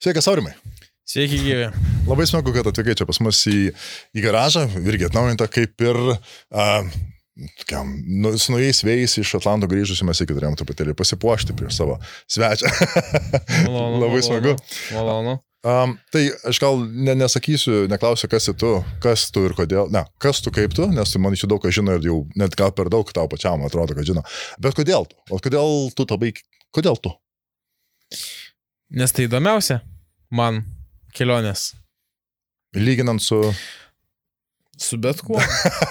Sveikas, Aurimai. Sveiki, gyvi. Labai smagu, kad atvykai čia pas mus į garažą, irgi atnaujinta kaip ir su naujais vėjais iš Atlanto grįžusi mes iki turėjom truputėlį pasipuošti prieš savo svečią. Malonu, Labai smagu. Malonu. Tai aš gal nesakysiu, neklausiu, kas tu ir kodėl, kas tu kaip tu, nes tu man iš daug ką žino ir jau net gal per daug tau pačiam atrodo, kad žino. Bet kodėl tu? O kodėl tu? Nes tai įdomiausia man kelionės. Lyginant su... Su bet kuo.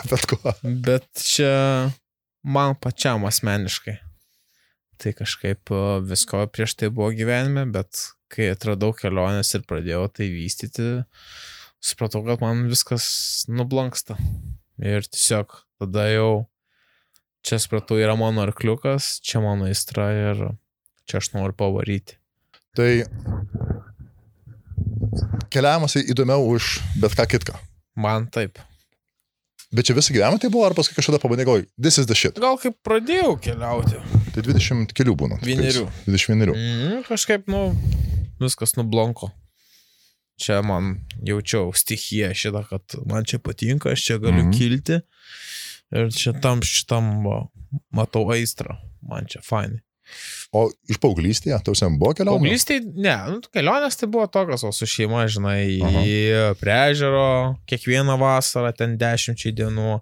Bet kuo. Bet čia man pačiam asmeniškai. Tai kažkaip visko prieš tai buvo gyvenime, bet kai atradau kelionės ir pradėjau tai vystyti, supratau, kad man viskas nublanksta. Ir tiesiog tada jau čia supratau, yra mano arkliukas, čia mano aistra ir čia aš noriu pavaryti. Tai keliavimas įdomiau už bet ką kitką. Man taip. Bet čia visą gyvenimą tai buvo, ar paskui kažkada pabandė galvoj, this is the shit. Gal kaip pradėjau keliauti. Tai 20 kelių būna. 21. Kažkaip, viskas nublonko. Čia man jaučiau stichiją šitą, kad man čia patinka, aš čia galiu kilti. Ir čia šitam matau aistrą. Man čia fainai. O iš paauglystėje, tausiam buvo kelionė? Paauglystėje, ne, kelionės tai buvo tokios, o su šeima, žinai, į prie ežero, kiekvieną vasarą, ten 10 dienų,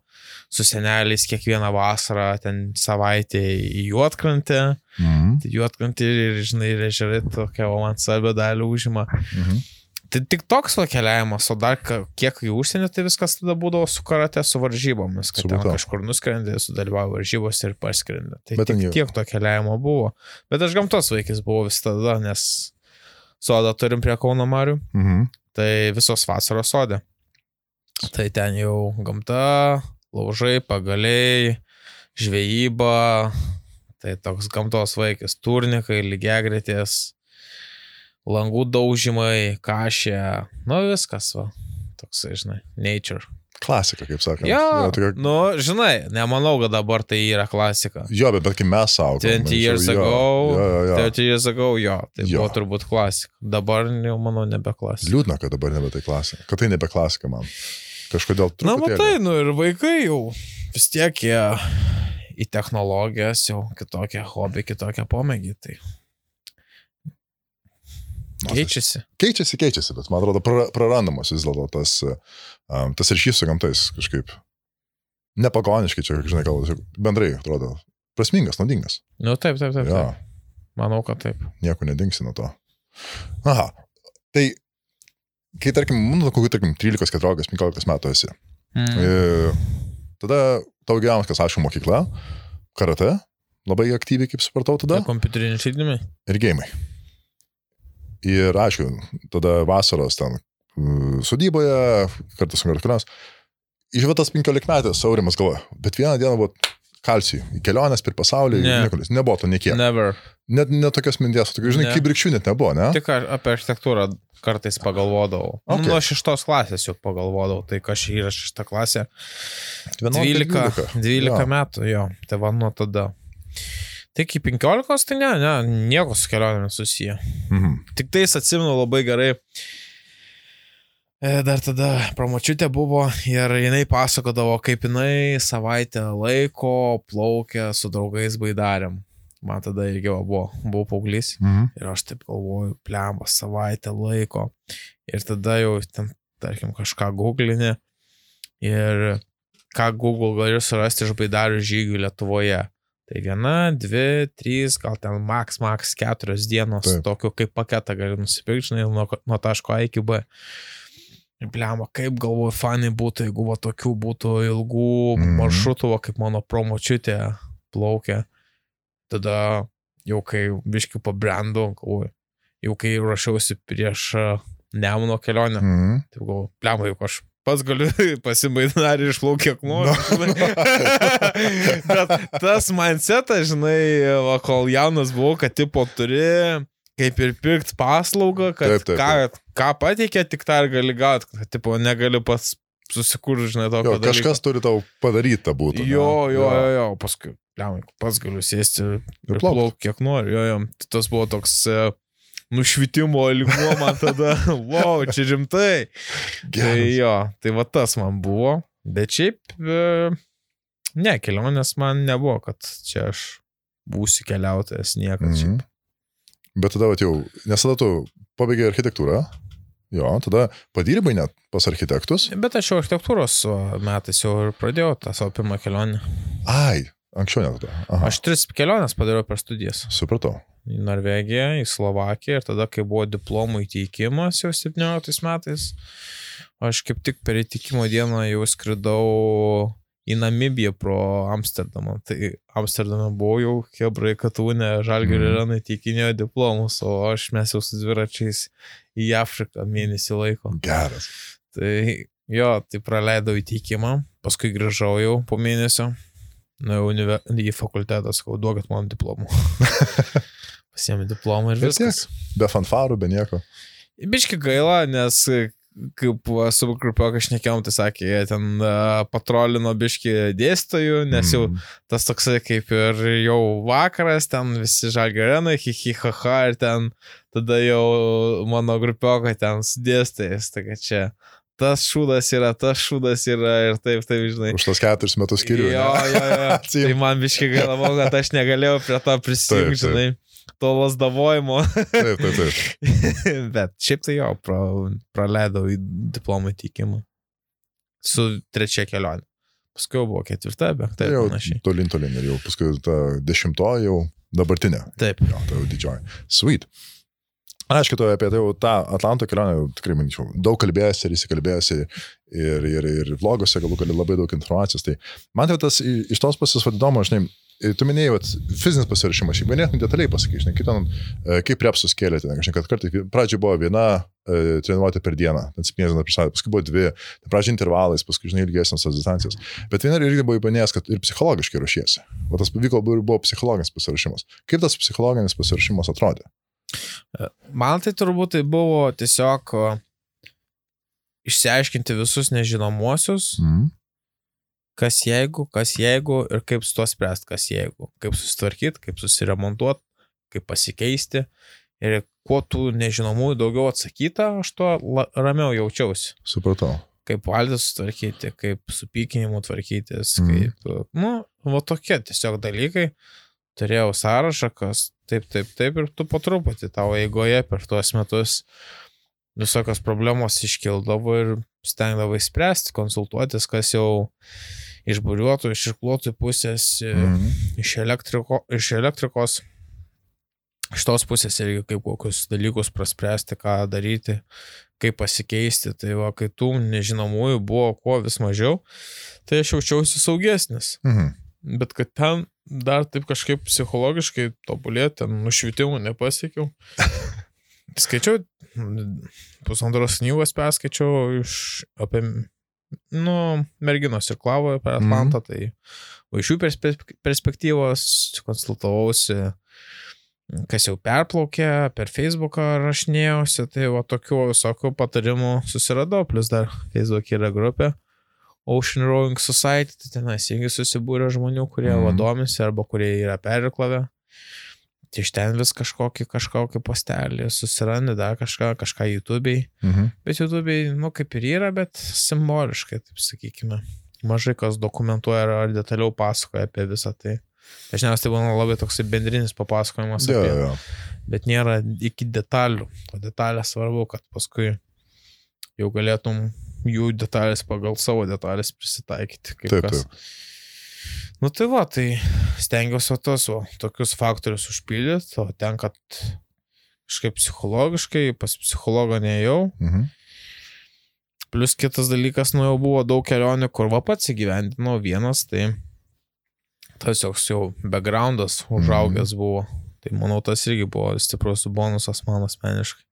su seneliais kiekvieną vasarą, ten savaitę į Juodkrantę, tai Juodkrantė ir, žinai, ir ežerai tokia, o man svarbią dalį užima. Tai tik toks keliavimas, o dar kiek į užsienį, tai viskas tada būdavo su karate, su varžybomis, kad ten kažkur nuskrendė, sudalyvavo varžybos ir parskrendė. Tai tiek to keliavimo buvo. Bet aš gamtos vaikis buvau vis tada, nes sodą turim prie Kauno marių, tai visos vasaros sode. Tai ten jau gamta, laužai, pagaliai, žvejyba, tai toks gamtos vaikis, turnikai, lygiagretės, langų daužymai, kašė, viskas, toksai, žinai, nature. Klasika, kaip sakant. Jo, žinai, nemanau, kad dabar tai yra klasika. Jo, bet kai mes augom. 30 years ago, tai buvo turbūt klasika. Dabar jau, manau, nebe klasika. Liūdna, kad dabar nebe tai klasika. Kad tai nebe klasika man. Kažkodėl truputėlį. Matai, ir vaikai jau vis tiek jie į technologijas jau kitokią hobį, kitokią pomėgį, tai... Keičiasi, bet man atrodo prarandamas vis dėlto tas ryšys su gamtais kažkaip nepagoniškai čia, žinai, gal bendrai atrodo prasmingas, naudingas. Taip. Ja. Manau, kad taip. Nieko nedingsi nuo to. Aha, tai kai, tarkim, 13, 14, 15 metų esi, tada tau gyvenimas, aišku, mokykla, karate, labai aktyviai, kaip supratau tada. Tai kompiuteriniai žaidimai. Ir geimai. Ir aišku, tada vasaros ten sodyboje, kartu su kartuliams, išvietas 15 metės Aurimas galvoja, bet vieną dieną buvo kalcijų, į kelionės per pasaulį, nebuvo to niekiek. Never. Net tokios minties, žinai, kaip brikščių net nebuvo, ne? Tik apie architektūrą kartais pagalvodavau. Nuo 6 klasės jau pagalvodavau, tai kas yra 6 klasė. 12 metų, jo, tai va nuo tada. Tai iki 15, tai nieko su kelionėmis susiję. Tik tais atsimenu labai gerai. Dar tada pramočiutė buvo ir jinai pasakodavo, kaip jinai savaitę laiko plaukė su draugais baidarėm. Man tada irgi buvau paauglys. Ir aš taip galvoju, plemba, savaitę laiko. Ir tada jau ten, tarkim, kažką googlinė. Ir ką Google gali surasti iš baidarių žygių Lietuvoje. Tai 1, 2, 3, gal ten max 4 dienos tokiu kaip paketą gali nusipirkti, žinai, nuo taško A iki B. Ir bliamba, kaip galvoju, fanai būtų, jeigu tokių būtų ilgų maršrutų, kaip mano promočiutė plaukė. Tada jau kai biškių pabrendau, jau kai rašiausi prieš Nemuno kelionę, tai galvoju, bliamba, juk aš pats galiu pasibaidinarį išplaukti kiek noriu. Bet tas mindsetas, žinai, kol jaunas buvau, kad tipo turi kaip ir pirkti paslaugą, kad ką pateikia, tik tą ir gali gauti, kad tipo negali pats susikurti, žinai, tokio dalyko. Kažkas turi tau padaryti tą būtų. Jo, paskui, pats galiu sėsti ir plaukti kiek noriu. Jo, tas buvo toks nušvitimo lygmuo man tada, wow, čia rimtai. Tai jo, tai va tas man buvo. Bet šiaip, ne, kelionės man nebuvo, kad čia aš būsiu keliautojas niekad šiaip. Bet tada jau, nes tada tu pabaigai architektūrą, jo, tada padirbai net pas architektus. Bet aš jau architektūros metais jau ir pradėjau tą savo pirmą kelionę. Ai, anksčiau net tada. Aha. Aš 3 keliones padariau per studijas. Supratau. Į Norvegiją, į Slovakiją ir tada, kai buvo diplomų įteikimas jau 17 metais, aš kaip tik per įteikimo dieną jau skridau į Namibiją pro Amsterdamą. Tai Amsterdame buvau jau Hebrai Katūne, Žalgirio Arenai teikinėjo diplomus, o mes jau su dviračiais į Afriką mėnesį laiko. Geras. Tai jo, tai praleidau įteikimą, paskui grįžau jau po mėnesio, į fakultetą, sakau, duokit man diplomų. Pasiėmė diplomą ir viskas. Be fanfarų, be nieko. Biški gaila, nes kaip su grupiokai šnekėjom, tai sakė, jie ten patrolino biški dėstytojų, nes jau tas toksai kaip ir jau vakaras, ten visi Žalgirio Arenai, hi-hi-ha-ha, ir ten tada jau mano grupiokai ten su dėstytojais, tai kad čia tas šūdas yra ir taip, žinai. Už tos 4 metus skiriu. Jo. Tai man biški gaila, kad aš negalėjau prie to prisijungti, žinai. To lasdavojimo. Taip. Bet šiaip tai jo, praleidau į diplomų įteikimą. Su 3 kelionė. Paskui jau buvo 4, 5, jau panašiai. Tolin ir jau paskui ta 10 jau dabartinė. Taip. Jo, tai jau didžioji. Sweet. Aišku, tu apie tai jau tą Atlanto kelionę tikrai manyčiau. Daug kalbėjęs ir įsikalbėjęs ir vlogose galų gali labai daug informacijos. Tai man tai tas iš tos pusės vadinamo, žinai, tu minėjai, fizinis pasirašymas, šiaip ganėtinai detaliai pasakai, žinai, kitam, kaip repsus kėlėte, žinai, kad kartai pradžiai buvo viena treniruotė per dieną, 7 dienas per savaitę, paskui buvo 2, tai pradžiai intervalais, paskui, žinai, ilgesnės tos distancijas. Bet viena irgi buvo įpanėjęs, kad ir psichologiškai ruošiesi. O tas pavyko buvo psichologinis pasirašymas. Kaip tas psichologinis pasirašymas atrodė? Man tai turbūt tai buvo tiesiog išsiaiškinti visus nežinomuosius, kas jeigu ir kaip su to spręsti, kas jeigu, kaip susitvarkyti, kaip susiremontuoti, kaip pasikeisti ir kuo tų nežinomųjų daugiau atsakyta, aš to ramiau jaučiausi. Supratau. Kaip valdą sutvarkyti, kaip su pykinimu tvarkytis, kaip, va tokie tiesiog dalykai. Turėjau sąrašą, kas taip ir tu po truputį tavo eigoje per tuos metus visokios problemos iškildavo ir stengdavai spręsti, konsultuotis, kas jau iš buriuotojų, iš irkluotojų pusės, iš elektrikos, iš tos pusės irgi kaip kokius dalykus praspręsti, ką daryti, kaip pasikeisti. Tai va, kai tų nežinomųjų buvo kuo vis mažiau, tai aš jaučiausi saugesnis. Bet kad ten dar taip kažkaip psichologiškai tobulėti, ten nušvitimų nepasiekiau. Skaičiau, 1,5 knygos perskaičiau apie merginos irklavoje per Atlantą, tai iš jų perspektyvos konsultavausi, kas jau perplaukė, per Facebooką rašinėjausi, tai va tokių visokių patarimų susiradau, plus dar Facebook yra grupė Ocean Rowing Society, tai tenais irgi susibūrė žmonių, kurie domisi arba kurie yra perirklavę. Tai iš ten vis kažkokį postelį susirandi, dar kažką YouTube'ai. Bet YouTube'ai, kaip ir yra, bet simboliškai, taip sakykime. Mažai kas dokumentuoja ar detaliau pasakoja apie visą tai. Dažniausiai tai būna labai toksai bendrinis papasakojimas apie. Bet nėra iki detalių. O detalės svarbu, kad paskui jau galėtum jų detalės pagal savo detalės prisitaikyti. Taip. Tai va, tai stengiausi tokius faktorius užpildyti, o ten, kad kažkaip psichologiškai, pas psichologą neėjau. Plus kitas dalykas, jau buvo daug kelionių, kur va pats įgyvendinau vienas, tai tas jau backgroundas užaugęs buvo. Tai manau, tas irgi buvo stiprus bonusas man asmeniškai.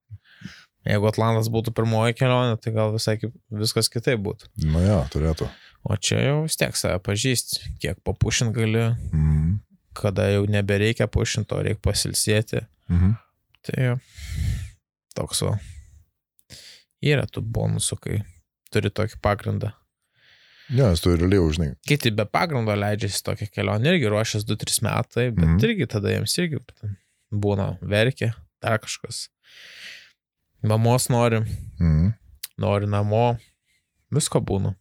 Jeigu Atlantas būtų pirmoji kelionė, tai gal viskas kitaip būtų. Turėtų. O čia jau vis tiek save pažįsti, kiek papušint gali, kada jau nebereikia pušinti, o reikia pasilsėti. Tai toks yra tų bonusų, kai turi tokį pagrindą. Nes tu realiai užnai. Kiti be pagrindo leidžiasi tokią kelionę, irgi ruošęs 2-3 metai, bet irgi tada jiems irgi būna verkia, dar kažkas. Mamos nori, nori namo, visko būna.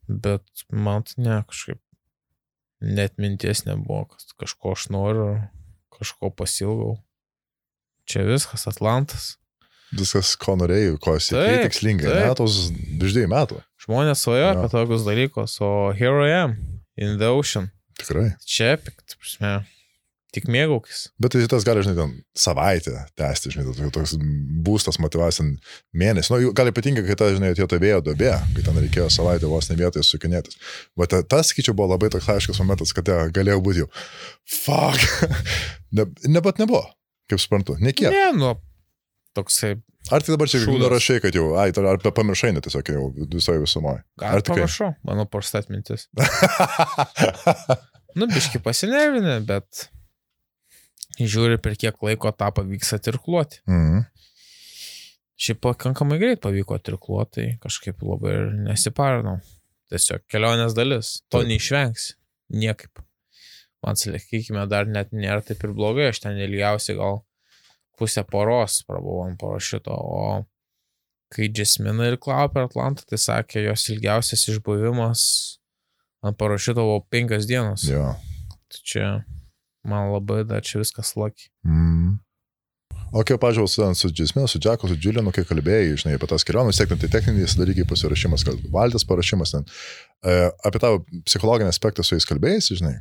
Bet man tai ne, kažkaip net minties nebuvo, kad kažko aš noriu, kažko pasilgau. Čia viskas, Atlantas. Viskas, ko norėjau, ko siekiai tikslingai, ne, tos 2 metų. Žmonės svajoja apie tokius dalykus, o here I am, in the ocean. Tikrai. Čia, prasme, tik mėgaukis. Bet tai tas gali, žinai, ten savaitę tęsti, žinai, toks būstas motyvacija mėnesį. Nu, gal ypatingai, kai ta, žinai, atėjo ta vėjo duobė, kai ten reikėjo savaitę vos ne vietoje sukinėtis. Bet tas, sakyčiau, buvo labai toks aiškus momentas, kad galėjau būti jau, fuck, bet nebuvo, kaip suprantu, nekiek. Ne, nu, toksai. Ar tai dabar čia nurašai, kad jau, ar pamiršai net tiesiog jau visoje visumoje? Ar pamiršau, mano parstat mintis. Nu, biški pasinervinę, bet žiūri, per kiek laiko tą pavyks atirkluoti. Šiaip pakankamai greit pavyko atirkluoti, tai kažkaip labai ir nesiparinau. Tiesiog kelionės dalis, to neišvengsi, niekaip. Man sakykime, dar net nėra taip ir blogai, aš ten ilgiausiai gal pusę poros prabuvau ant parašiuto, o kai Jasmina ir Klau per Atlantą, tai sakė, jos ilgiausias išbuvimas ant parašiuto buvo 5 dienos. Jo. Tai čia man labai dar čia viskas laki. O kai pažiūrėjau su Jasmina, su Jacku, su Julianu, kai kalbėjai, žinai, apie tas keliones, tai techniniais dalykai pasirašymas, kad valtis parašymas ten, apie tavo psichologinį aspektą su jais kalbėjai, žinai.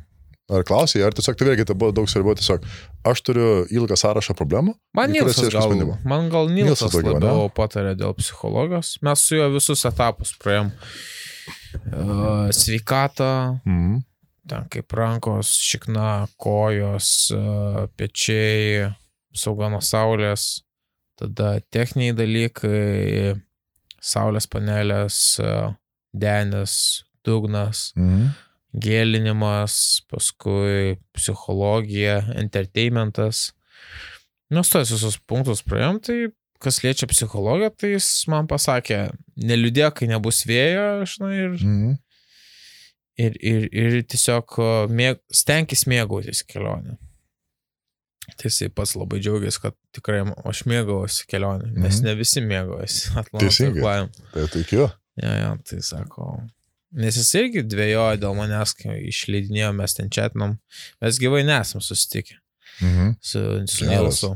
Ar klausai, ar tiesiog tai vėlgi tai buvo daug svarbiau, tiesiog aš turiu ilgą sąrašą problemų. Man Nilsas labiau patarė dėl psichologijos. Mes su juo visus etapus praėjom. Sveikatą, ten kaip rankos, šikna, kojos, pečiai, sauga nuo saulės, tada techniniai dalykai, saulės panelės, denis, dugnas, gėlinimas, paskui psichologija, entertainmentas. Mes tos visus punktus praėjom, tai kas liečia psichologiją, tai jis man pasakė, neliūdėk, kai nebus vėjo, žinai, ir tiesiog stenkis mėgautis kelionę. Tai jisai pats labai džiaugiasi, kad tikrai aš mėgaujuosi kelionę, nes ne visi mėgaujasi Atlantos irklavimu. Tai tikiu. Ja, tai sako... Nes jis irgi dvėjojo dėl manęs, kai išleidinėjom, mes ten čatinom. Mes gyvai nesam susitikę su Nilsu.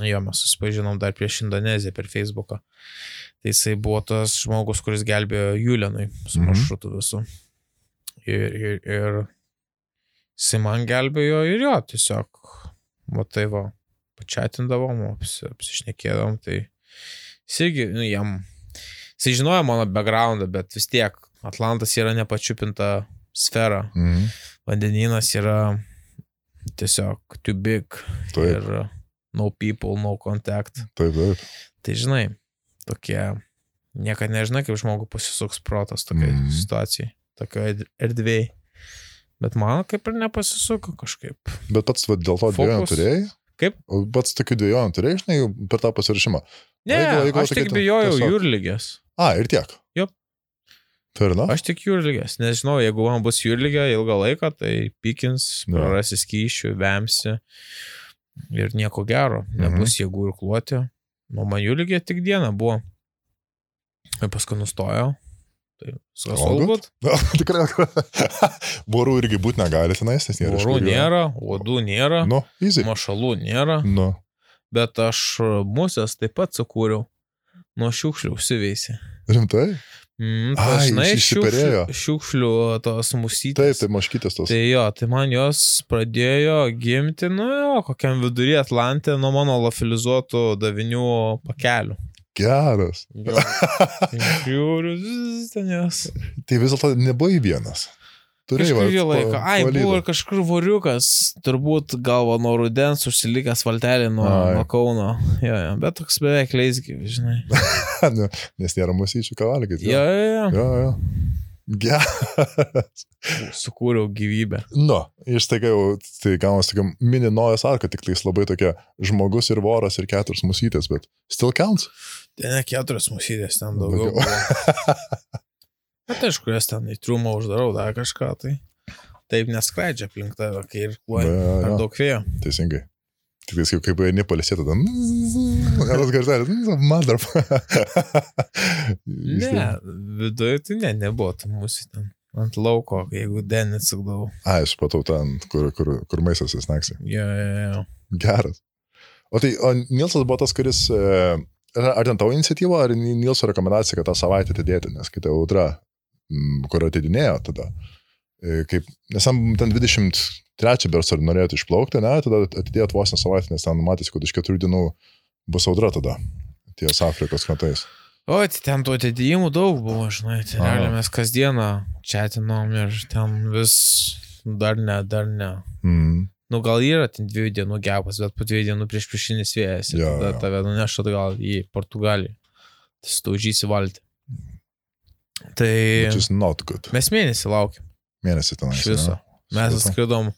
Jo, mes susipažinom dar prieš Indoneziją per Facebooką. Tai jisai buvo tas žmogus, kuris gelbėjo Julianui su maršrutu visu. Ir jisai man gelbėjo ir jo, tiesiog, tai va, pačiatindavom, apsišnekėdavom, tai jis irgi, jisai žinojo mano backgroundą, bet vis tiek Atlantas yra nepačiupinta sfera. Vandenynas yra tiesiog too big. Taip. Ir no people, no contact. Taip. Tai žinai, tokie, niekad nežinai, kaip žmogų pasisuks protas tokiai situacijai, tokioje erdvėje. Bet man kaip ir nepasisuko kažkaip. Bet pats dėl to dvejonių turėjai? Kaip? Pats tokių dvejonių turėjai, žinai, per tą pasirašymą? Ne, aš tik bijojau jūrligės. Ir tiek? Jop. Aš tik jūrligės, nes žinau, jeigu man bus jūrligė ilgą laiką, tai pykins, prarasi skysčių, vemsi ir nieko gero, nebus jėgų ir kluoti. Nu, man jūrligė tik dieną buvo. Ir paskui nustojau. Tai būt. Tikrai. Vorų irgi būt negali tenais, nes nėra. Vorų nėra, uodų nėra, mašalų nėra. Bet aš musės taip pat sukūriau. Nuo šiukšlių užsiveisi. Rimtai? Žinai, šiukšlių tos musytės. Taip, maškytės tos. Tai jo, tai man jos pradėjo gimti, kokiam vidury Atlante nuo mano lofilizuotų davinių pakelių. Geras. Žiūriu, ten jos. Tai vis dėlto nebuvai vienas. Kažkurį laiką. Buvo ir kažkur voriukas, turbūt galva nuo rudens užsilikęs valtelį nuo Kauno. Jo, bet toks beveik leisgyvis, žinai. Nes nėra musyčių ką valgyti. Jo. Geras. Sukūriau gyvybę. Ištaiga jau, tai gaunas tokia mini Nojas arka, tik tais labai tokia žmogus ir voras ir 4 musytės, bet still counts? Tai ne 4 musytės, ten daugiau buvo. Bet aišku, jas ten į triumą uždarau, dar kažką, tai taip neskraidžia aplink tave, kai ir kluoja per daug vėjo. Teisingai. Tik kaip eini palisėti, tada... Geras garselis, mother. Ne, viduje tai nebuvo tų mūsų ten. Ant lauko, jeigu denį sukdavau. Ai, supratau ten, kur maistas įsnaksi. Jo. Geras. O Nilsas buvo tas, kuris... Ar ten tavo iniciatyva, ar Nilso rekomendacija, kad tą savaitę atidėti, nes kai ta audra, kur atidinėjo tada, nes ten 23 bersą norėtų išplaukti, ne, tada atidėjo vos ne savaitę, nes ten matėsi, kad iš 4 dienų bus audra tada, ties Afrikos krantais. O, tai ten tų atidėjimų daug buvo, žinai, tai realiai mes kasdieną čatinom ir ten vis dar ne. Nu, gal yra ten 2 dienų gepas, bet po 2 dienų prieš vėjas ir tada tave nuneš atgal į Portugaliją. Tai staužysi valtį. Tai... Which is not good. Mes mėnesį laukiam. Mėnesį tenais. Iš viso. Mes atskridom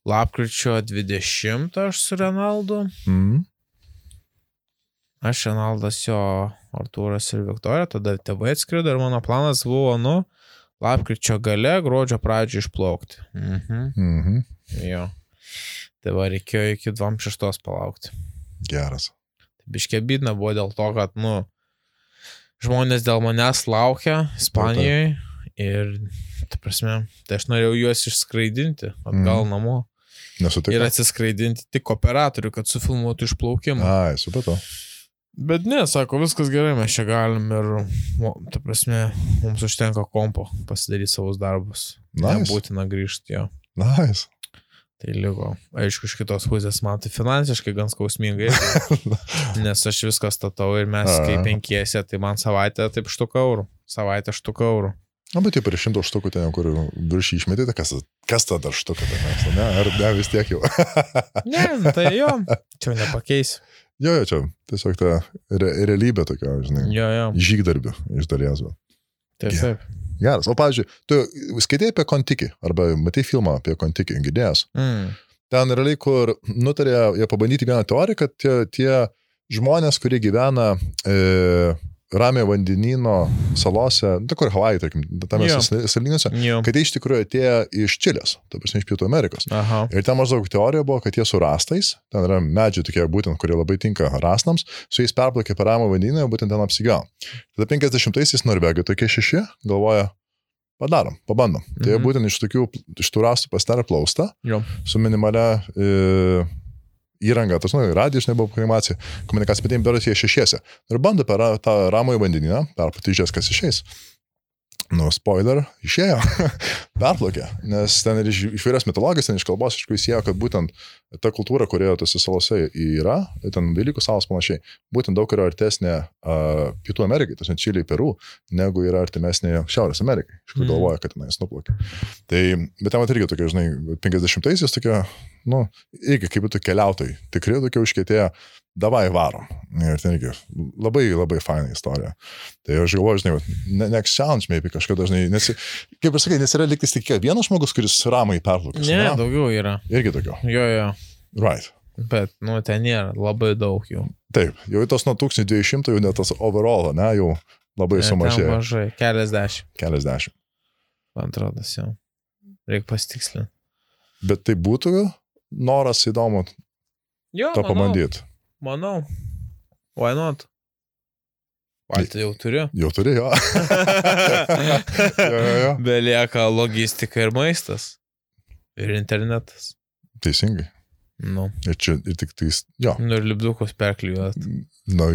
lapkričio 20 aš su Renaldu. Aš, Renaldas, jo, Artūras ir Viktorija, tada tėvai atskrido ir mano planas buvo, lapkričio gale, gruodžio pradžio išplaukti. Jo. Tai va, reikėjo iki 26 palaukti. Geras. Biškė bidna buvo dėl to, kad, žmonės dėl manęs laukia Ispanijoje ir, tai aš norėjau juos išskraidinti atgal namo. Nesutiko. Ir atsiskraidinti tik operatorių, kad sufilmuotų išplaukimą. Ai, supratau. Bet ne, sako, viskas gerai, mes čia galim ir, mums užtenka kompo pasidaryti savus darbus. Nice. Nebūtina grįžti, jo. Nice. Tai liko, aišku, iš kitos pusės man tai finansiškai gan skausmingai, nes aš viską statau ir mes kaip 5, tai man savaitę taip €100. Savaitę €100. Na, bet jau per 100 štukų ten, kur virš išmetė, tai kas tada štuką ten, ne? Ar ne, vis tiek jau? Ne, tai jo, čia nepakeisi. Jo, čia tiesiog ta realybė tokia, žinai, žygdarbių iš dalies. Taip. Geras. O, pavyzdžiui, tu skaitėjai apie Kontikį, arba matai filmą apie Kontikį, girdėjęs. Ten realiai, kur nutarė jie pabandyti vieną teoriją, kad tie žmonės, kurie gyvena Ramiojo vandenyno salose, kur Havajai, tarkim, tame salynuose, kad tai iš tikrųjų atėjo iš Čilės, iš Pietų Amerikos. Ir ten maždaug teorija buvo, kad jie su rastais, ten yra medžiai tokie būtent, kurie labai tinka rastams, su jais perplaukė per Ramiojo vandenyną, būtent ten apsigyveno. Tada 50-aisiais Norvegai tokie 6 galvoja, pabandom. Tai būtent iš tų rastų pasidarė plaustą, su minimalia įranga, radijas nebuvo komunikacija, bet jiems beras jie 6. Ir bando per tą Ramiojo vandenyną, perpatys, kas išeis. Spoiler, išėjo, perplaukė, nes ten ir iš vyrios mitologijos, ten iš kalbos, iš įsėjo, kad būtent ta kultūra, kurioje tose salose yra, ten Velykų salos panašiai, būtent daug yra artesnė Pietų Amerikai, tas Čilei, Peru, negu yra artimesnė Šiaurės Amerikai, iš kur galvoja, kad tenais nuplaukė. Tai, bet ten irgi tokia, žinai, 50-aisiais tokia, irgi kaip būtų keliautojai, tikrai tokia užkietėja, davai varom. Ir ten irgi labai, labai faina istorija. Tai aš galvoju, žinai, next challenge maybe kažkada, žinai, nes, kaip ir sakai, nes yra liktis tik vienas žmogus, kuris ramai perplaukęs. Ne, daugiau yra. Irgi daugiau. Jo. Right. Bet, ten nėra labai daug jų. Taip, jau tos nuo 1200, jau net tas overall, ne, jau labai sumažėjo. Ten mažai, keliasdešimt. Man atrodo, jau. Reikia pasitikslinti. Bet tai būtų noras įdomu tą pabandyti. Manau. Why not? Valtį jau turiu. Jau turi, jo. Belieka logistika ir maistas. Ir internetas. Teisingai. Ir čia, ir tik tais, jo. Ir lipdukus perklijuot.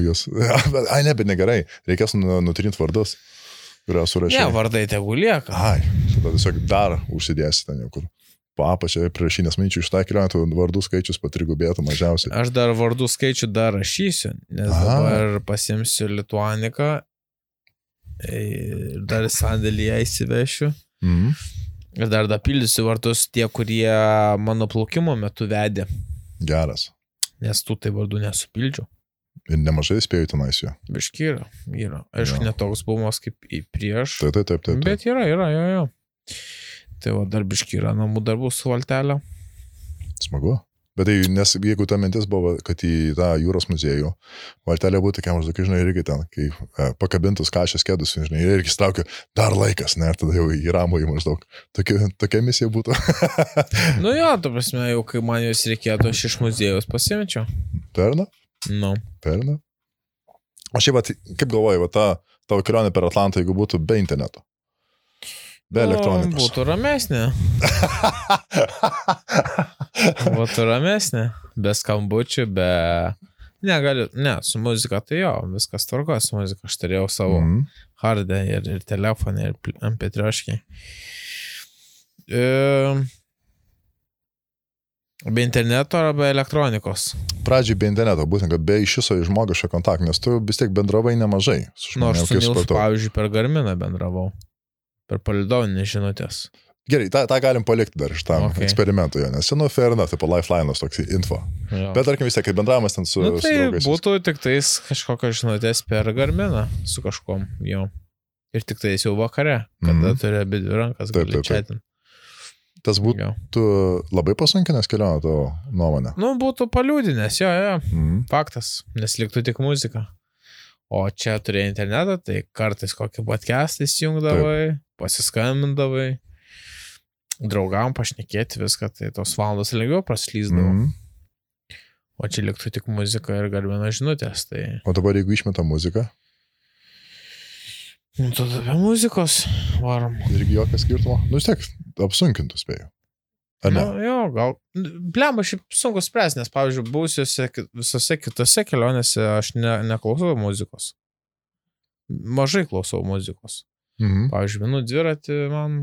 Jūs. Bet negerai. Reikės nutrinti vardus, kurią surašė. Ne, vardai tegu lieka. Tada tiesiog dar užsidėsi ten jau kur. Apačioje priešinės manyčių iš tą kelionę vardų skaičius patrigubėtų mažiausiai. Aš dar vardų skaičių dar rašysiu, nes dabar pasimsiu Lituaniką ir dar sandėlyje įsivešiu. Ir dar dapildysiu vardus tie, kurie mano plaukimo metu vedė. Geras. Nes tų tai vardų nesupildžiau. Ir nemažai spėjau tenais jo. Biški yra. Aišku, netoks buvimas kaip į prieš. Taip. Bet yra, jo. Tai va, dar biški yra namų darbų su valtelė. Smagu. Bet tai, nes jeigu ta mintis buvo, kad į tą jūros muziejų valtelė būtų, kai maždaug, žinai, irgi ten, kai pakabintus kašės kėdus, žinai, ir irgi straukia dar laikas, ne, ir tada jau į ramų į maždaug. Tokia misija būtų. Nu jo, tu prasme, jau kai man jos reikėtų, aš iš muziejus pasimečiau. Perna? Nu. Perna? O šiaip, kaip galvoji, tavo kelionė per Atlantą, jeigu būtų be interneto? Be elektronikos. Būtų ramesnė. Būtų ramesnė. Be skambučių, Ne, su muzika tai jo, viskas tvarko, su muzika. Aš turėjau savo hardą ir telefoną, ir MP3. Be interneto ar be elektronikos? Pradžiai be interneto, būtent, kad be iš viso žmogiško kontakto, nes tu vis tiek bendravai nemažai. Aš su Nilsu, pavyzdžiui, per Garminą bendravau. Per palidoninės žinutės. Gerai, tą galim palikti dar iš tam eksperimentų, nes fair enough, tipo lifeline'as toks info. Jo. Bet tarkim vis tiek, kai bendravimas ten su draugais. Būtų tik tais kažkokios žinutės per Garminą su kažkom jau. Ir tik tais jau vakare, kada turi abi dvi rankas, gali chatinti. Tas būtų labai pasunkinęs kelionę tavo nuomonę? Nu, būtų paliūdinęs, jo. Faktas, nes liktų tik muzika. O čia turėjai internetą, tai kartais kokį podcastą įsijungdavai, pasiskambindavai, draugam pašnekėti viską, tai tos valandos lengviau praslyzdavo. O čia liktų tik muzika ir Garmino žinutės. Tai... O dabar jeigu išmeta muziką? Nu, tada be muzikos varom. Irgi jokio skirtumo? Nu, vis tiek apsunkintų spėjau. Ar ne? Nu, jo, gal. Blemba, šiaip sunku spręs, nes, pavyzdžiui, buvusiuose visose kitose kelionėse aš neklausau muzikos. Mažai klausau muzikos. Pavyzdžiui, vienu dviratį man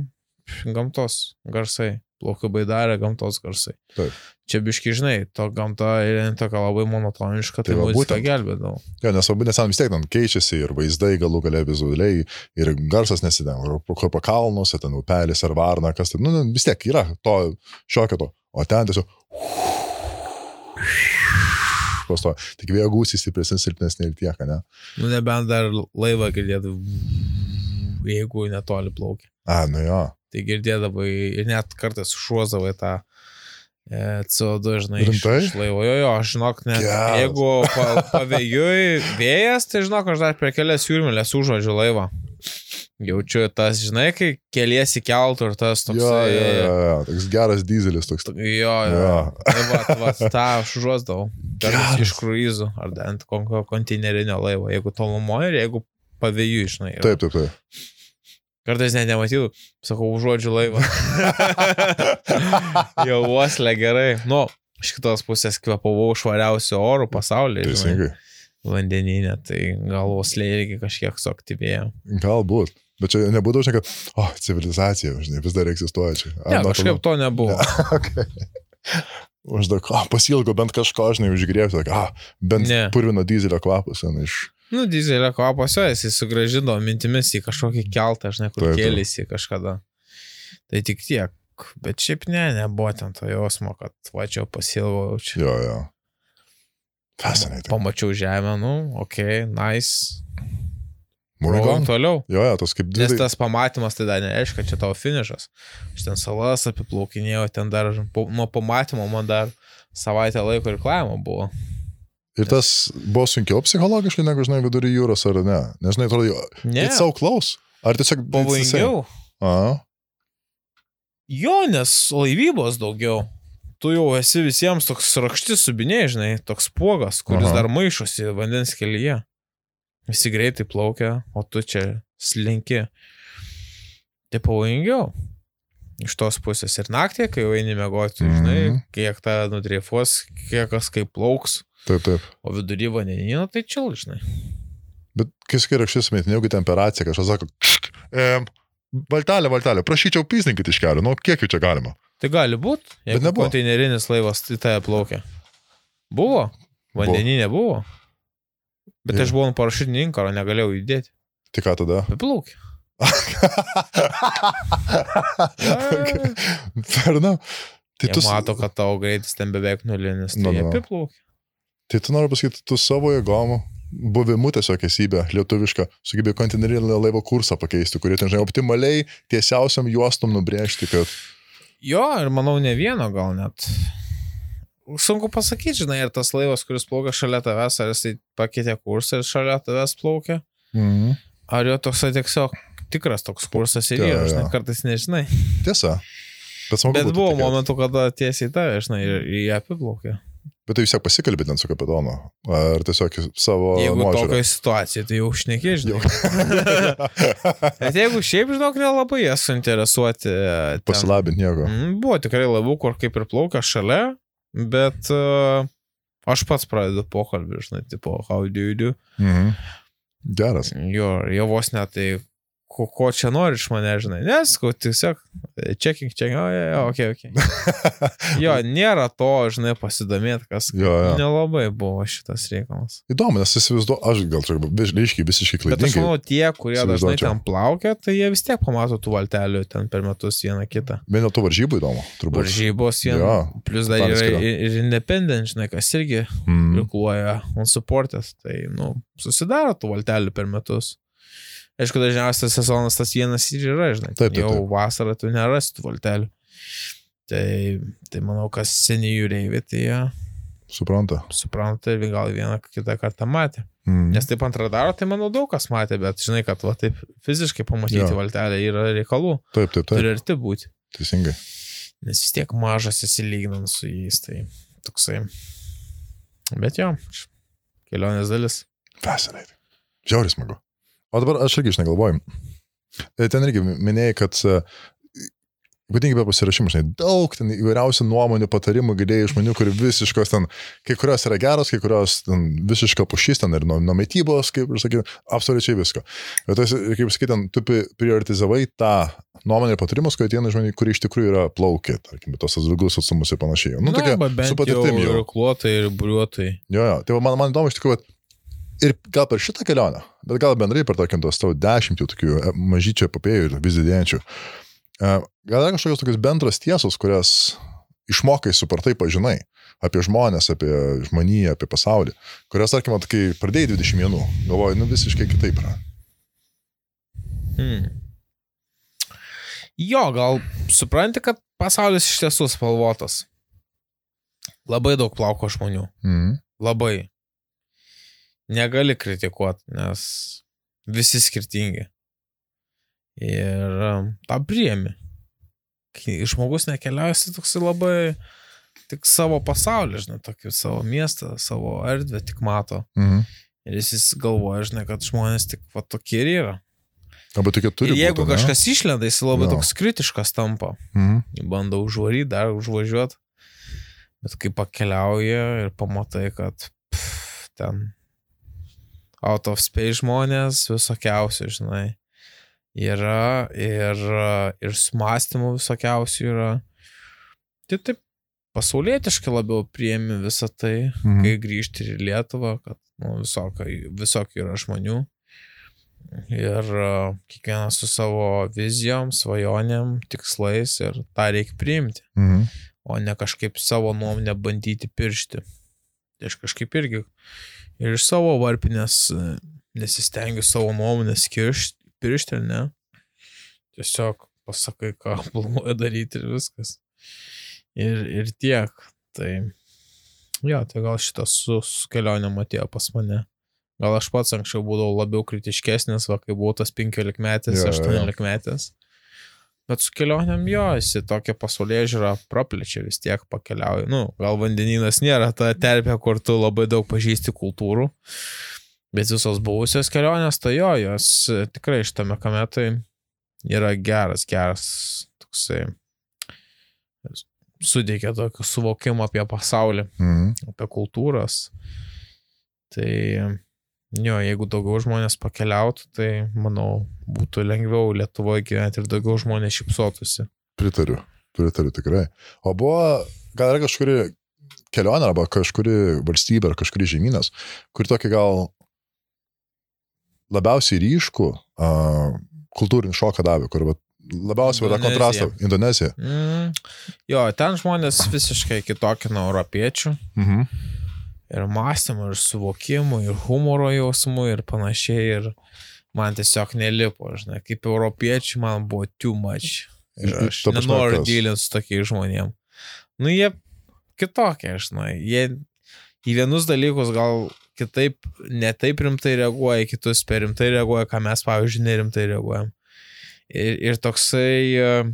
gamtos garsai. Plaukiu baidarė, gamtos garsai. Taip. Čia biški, žinai, to gamta yra tokia labai monotoniška, tai muzika gelbėdavo. Jo, nes vis tiek ten keičiasi ir vaizdai galų galia vizualiai, ir garsas nesidėm, kur po kalnuose, ten upelis ar varna, kas tai, vis tiek yra to šiokio to, o ten tiesiog pasto, tik vėjo gūsiai stipresnis, silpnesnė ir tiek, ne? Nu, nebent dar laivą girdėtų, jeigu netoli plaukia. Nu jo. Tai girdėdavai ir net kartais užuozdavai tą CO2, žinai, iš laivo. Jo, aš žinok, net jeigu pavėjui vėjas, tai žinok, aš dar per kelias jūrmėlės užuodžiu laivą. Jaučiu tas, žinai, kai keliesi keltų ir tas toks... Jo, toks geras dizelis toks. Jo. Tai va, tą aš užuozdavau. Kartais iš kruizų ar ant kokio konteinerinio laivo, jeigu tolumoje ir jeigu pavėjui, žinai. Taip. Kartais net nematytų, sakau, užuodžiu laivą. Jau uoslė gerai. Nu, iš kitos pusės kvepavau švariausių orų pasaulyje. Teisingai. Vandeninė, tai gal uoslė irgi kažkiek suaktyvėjo. Galbūt. Bet čia nebūdavo, žinai, kad civilizacija, žinai, vis dar egzistuoja čia. Ne, kažkaip to nebuvo. Uždaug, pasilgo bent kažko, žinai, užgrėbti, bent purvino dizelio kvapas, žinai, iš... Nu, dizelio kvapas, jisai sugrąžino mintimis į kažkokį keltą, žinai, kur kėlėsi kažkada. Tai tik tiek. Bet šiaip nebuvo ten to jausmo, kad vačiau pasilgau čia. Jo. Fascinating. Pamačiau žemę, nice. Moving toliau. Jo, tas kaip Nes tas pamatymas tai dar nereiškia, kad čia tavo finišas. Aš ten salas apiplaukinėjau, ten dar nuo pamatymo man dar savaitę laiko ir klavimo buvo. Ir tas buvo sunkiau psichologiškai, negu, žinai, vidury jūros, ar ne? Nežinai, atrodo, it's so close. Ar tiesiog... Pavojingiau. Jo, nes laivybos daugiau. Tu jau esi visiems toks rakštis subiniai, žinai, toks puogas, kuris dar maišosi vandens kelyje. Visi greitai plaukia, o tu čia slinki. Tai pavojingiau. Iš tos pusės ir naktį, kai jau eini miegoti, žinai, kiek tą nudreifuos, kiek kas kaip plauks. Taip. O vidury vandenyno tai čil, žinai. Bet kai sakai rakštis sumetinė, jeigu temperacija, kažkas sako, valtelė, prašyčiau pysninkit iš kelio, kiek jų čia galima? Tai gali būt, jeigu konteinerinis laivas į tai plaukia. Buvo, vandeninė buvo. Bet aš buvau parašytinį inkaro, negalėjau judėti. Tai ką tada? Apiplaukia. Ferna. Jie mato, kad tavo greitis ten beveik nulinis, tai apiplaukia. Tai tu noriu pasakyti, tu savo jėgom, buvimu tiesiog esybė lietuviška, sugebėjo konteinerinio laivo kursą pakeisti, kurie ten, žinai, optimaliai tiesiausiam juostum nubrėžti, kad... Jo, ir manau ne vieno gal net. sunku pasakyti, žinai, ir tas laivas, kuris plaukia šalia tavęs, ar jisai pakeitė kursą ir šalia tavęs plaukia, ar jo toks tiesiog tikras toks kursas ir yra, žinai, kartais nežinai. Tiesa. Bet buvo momentų, kada tiesiai tave, žinai, ir jie apiplaukė. Bet tai vis tiek pasikalbėt ten su kapitonu, ar tiesiog savo jeigu nuožiūrą? Jeigu tokia situacija, tai jau šnekė, žinai. Bet jeigu šiaip, žinok, nelabai jie suinteresuoti. Pasilabinti nieko. Buvo tikrai laivų, kur kaip ir plaukia šalia, bet aš pats pradedu pokalbį, žinai, tipo, how do you do? Geras. Jo vos net tai, ko čia nori iš mane, žinai, neskau, tiesiog checking, okay. Jo, nėra to, žinai, pasidomėti, kas nelabai buvo šitas reikalas. Įdomu, nes įsivaizduoju, aš gal čia visiškai klaidingai. Bet aš manau, tie, kurie dažnai ten plaukia, tai jie vis tiek pamato tų valtelių ten per metus vieną kitą. Bet dėl tų varžybų įdomu, turbūt. Varžybos vieną, plus dar yra ir independent, žinai, kas irgi prikluoja unsupported, tai, susidaro tų valtelių per metus. Aišku, dažniausiai sezonas tas vienas ir yra, žinai. Taip. Jau vasarą tu nerasi tų valtelių. Tai manau, kas seniai jūreivi, tai jie supranta ir gal vieną kitą kartą matė. Nes taip ant radaro, tai manau daug kas matė, bet žinai, kad va, taip fiziškai pamatyti valtelę yra reikalų. Taip. Turi arti būti. Teisingai. Nes vis tiek mažas įsilyginant su jais, tai toksai. Bet jo, kelionės dalis. Fascinating. Žiauriai smagu. O dabar aš irgi negalvoju. Ten irgi minėjai, kad ypatingai be pasirašymų, daug ten įvairiausių nuomonių, patarimų girdėjai žmonių, kur visiškos ten, kai kurios yra geros, kai kurios ten visiška pušys ten ir nuo mitybos, kaip ir sakiau, absoliučiai visko. Bet tas, kaip sakyt, tu prioritizavai tą nuomonę ir patarimus, kai ateina žmonių, kurie iš tikrųjų yra plaukę, tarkim, tos ilgus atstumus ir panašiai. Tokia, su patirtim jau. Ir klotai, ir buriuotai. Jo. Tai man įdomu iš tikrųjų, ir gal per šitą kelionę, bet gal bendrai per tokiam tos tavo 10 tokių mažyčių epopėjų ir vis didėjančių. Gal yra kažkokios tokios bendros tiesos, kurias išmokai supratai pažinai apie žmonės, apie žmoniją, apie pasaulį, kurias, tarkim, kai pradėjai 21, galvoju, visiškai kitaip yra. Jo, gal supranti, kad pasaulis iš tiesų spalvotas. Labai daug plauko žmonių. Labai. Negali kritikuoti, nes visi skirtingi. Ir tą priemi. Kai žmogus nekeliauja, jis toksai labai tik savo pasaulį, žinai, tokį savo miestą, savo erdvę tik mato. Ir jis galvoja, žinai, kad žmonės tik va tokie ir yra. Ir jeigu kažkas išlenda, jis labai toks kritiškas tampa. Bando užvaryti, dar užvažiuoti. Bet kai pakeliauja ir pamatai, kad ten out of space žmonės visokiausių, žinai, yra ir sumastymų visokiausių yra. Tai taip pasaulietiškai labiau priemi visą tai, kai grįžti į Lietuvą, kad visokių yra žmonių. Ir kiekvienas su savo vizijom, svajonėm, tikslais ir tą reikia priimti. O ne kažkaip savo nuomonę bandyti piršti. Tai aš kažkaip irgi ir iš savo varpinės nesistengiu savo nuomonės piršti, ne? Tiesiog pasakai, ką planuoju daryti ir viskas. Ir tiek. Tai, jo, tai gal šitas su kelionėm atėjo pas mane. Gal aš pats anksčiau būdavau labiau kritiškesnis, kai buvau tas 15-metis, 18-metis. Bet su kelionėm jo, jis tokia pasaulyje žiūra praplečia, vis tiek pakeliauja. Gal vandenynas nėra ta terpė, kur tu labai daug pažįsti kultūrų, bet visos buvusios kelionės, tai jo, jos tikrai šitame kame tai yra geras, toksai, suteikia tokį suvokimą apie pasaulį, apie kultūras. Tai jo, jeigu daugiau žmonės pakeliautų, tai, manau, būtų lengviau Lietuvoje gyventi ir daugiau žmonės šypsotųsi. Pritariu tikrai. O buvo, gal yra kažkuri kelionė, arba kažkuri valstybė, ar kažkuri žemynas, kuri tokį gal labiausiai ryškų kultūrinį šoką davė, kur labiausiai yra kontrastą. Indonezija. Jo, ten žmonės visiškai kitokie nuo europiečių. Ir mąstymų, ir suvokimų, ir humoro jausmų, ir panašiai, ir man tiesiog nelipo, žinai, kaip europiečiai man buvo too much. Ir aš nenoriu dylinti su tokiais žmonėm. Jie kitokie, žinai. Jie į vienus dalykus gal kitaip, netaip rimtai reaguoja, kitus per rimtai reaguoja, ką mes, pavyzdžiui, nerimtai reaguojam. Ir toksai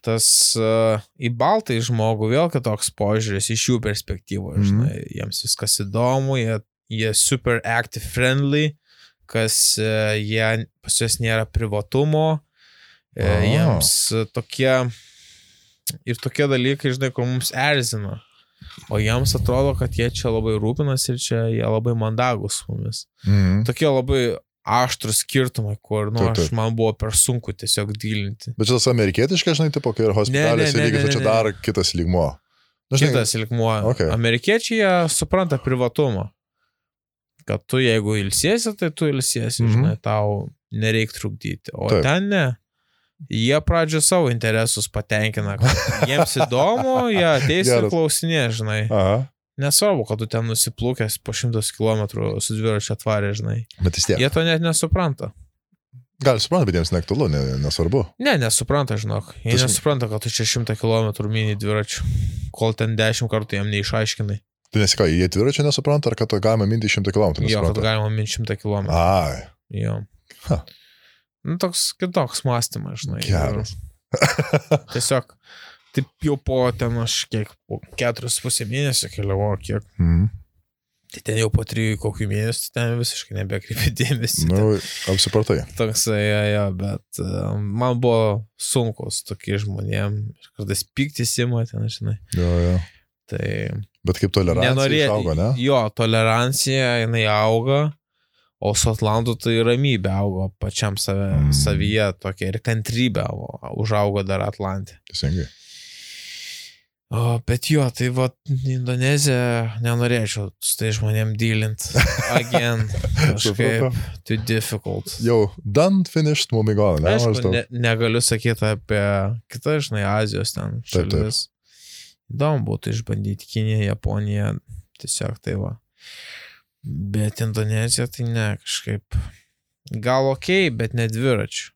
tas į baltai žmogų vėl kitoks požiūris iš jų perspektyvos, žinai. Jiems viskas įdomu, jie super active friendly, kas pas juos nėra privatumo, jiems tokie dalykai, žinai, kur mums erzina. O jiems atrodo, kad jie čia labai rūpinasi ir čia jie labai mandagus mumis. Tokie labai aštrus skirtumai, kur, man buvo per sunku tiesiog dylinti. Bet čia tas amerikietiškas, žinai, tipo, kai ir hospitalėse lygis, tai čia dar kitas lygmuo. Kitas lygmuo. Okay. Amerikiečiai jie supranta privatumą. Kad tu, jeigu ilsiesi, tai tu ilsiesi, žinai, tau nereik trukdyti. O ten ne. Jie pradžio savo interesus patenkina, kad jiems įdomu, jie ateis ir klausinė, žinai. Nesvarbu, kad tu ten nusiplūkęs po 100 km su dviračiu atvarė, žinai. Bet vis tiek. Jie to net nesupranta. Gal supranta, bet jiems neaktualu, nesvarbu. Ne, nesupranta, žinok. Jie nesupranta, kad tu čia 100 km mini dviračiu, kol ten 10 kartų jam neišaiškinai. Tai nesika, jie dviračio nesupranta, ar kad galima minti 100 km nesupranta? Jo, kad galima minti 100 km. Ai. Jo. Toks kitoks mąstymas, žinai. Geras. Tiesiog, taip jau po ten aš po 4,5 mėnesio keliavo, kiek. Tai ten jau po 3 kokių mėnesių, ten visiškai nebekreipė dėmesį. Apsipratai. Toksai, bet man buvo sunkus tokie žmonėm. Kartais pyktis ima ten, žinai. Jo. Tai... Bet kaip tolerancija išaugo, ne? Jo, tolerancija, jinai auga. O su Atlantu tai ramybė augo pačiam savyje tokia ir kantrybė užaugo dar Atlante. Teisingai. Bet jo, tai va, Indonezija nenorėčiau su tai žmonėm dylint. Again, kažkaip too difficult. Jau, done, finished, moving on. Aišku, negaliu sakyti apie kitą, žinai, Azijos ten šalis. Įdomu būtų išbandyti Kiniją, Japoniją, tiesiog tai va. Bet Indonezija tai ne, kažkaip gal okei, bet ne dviračių.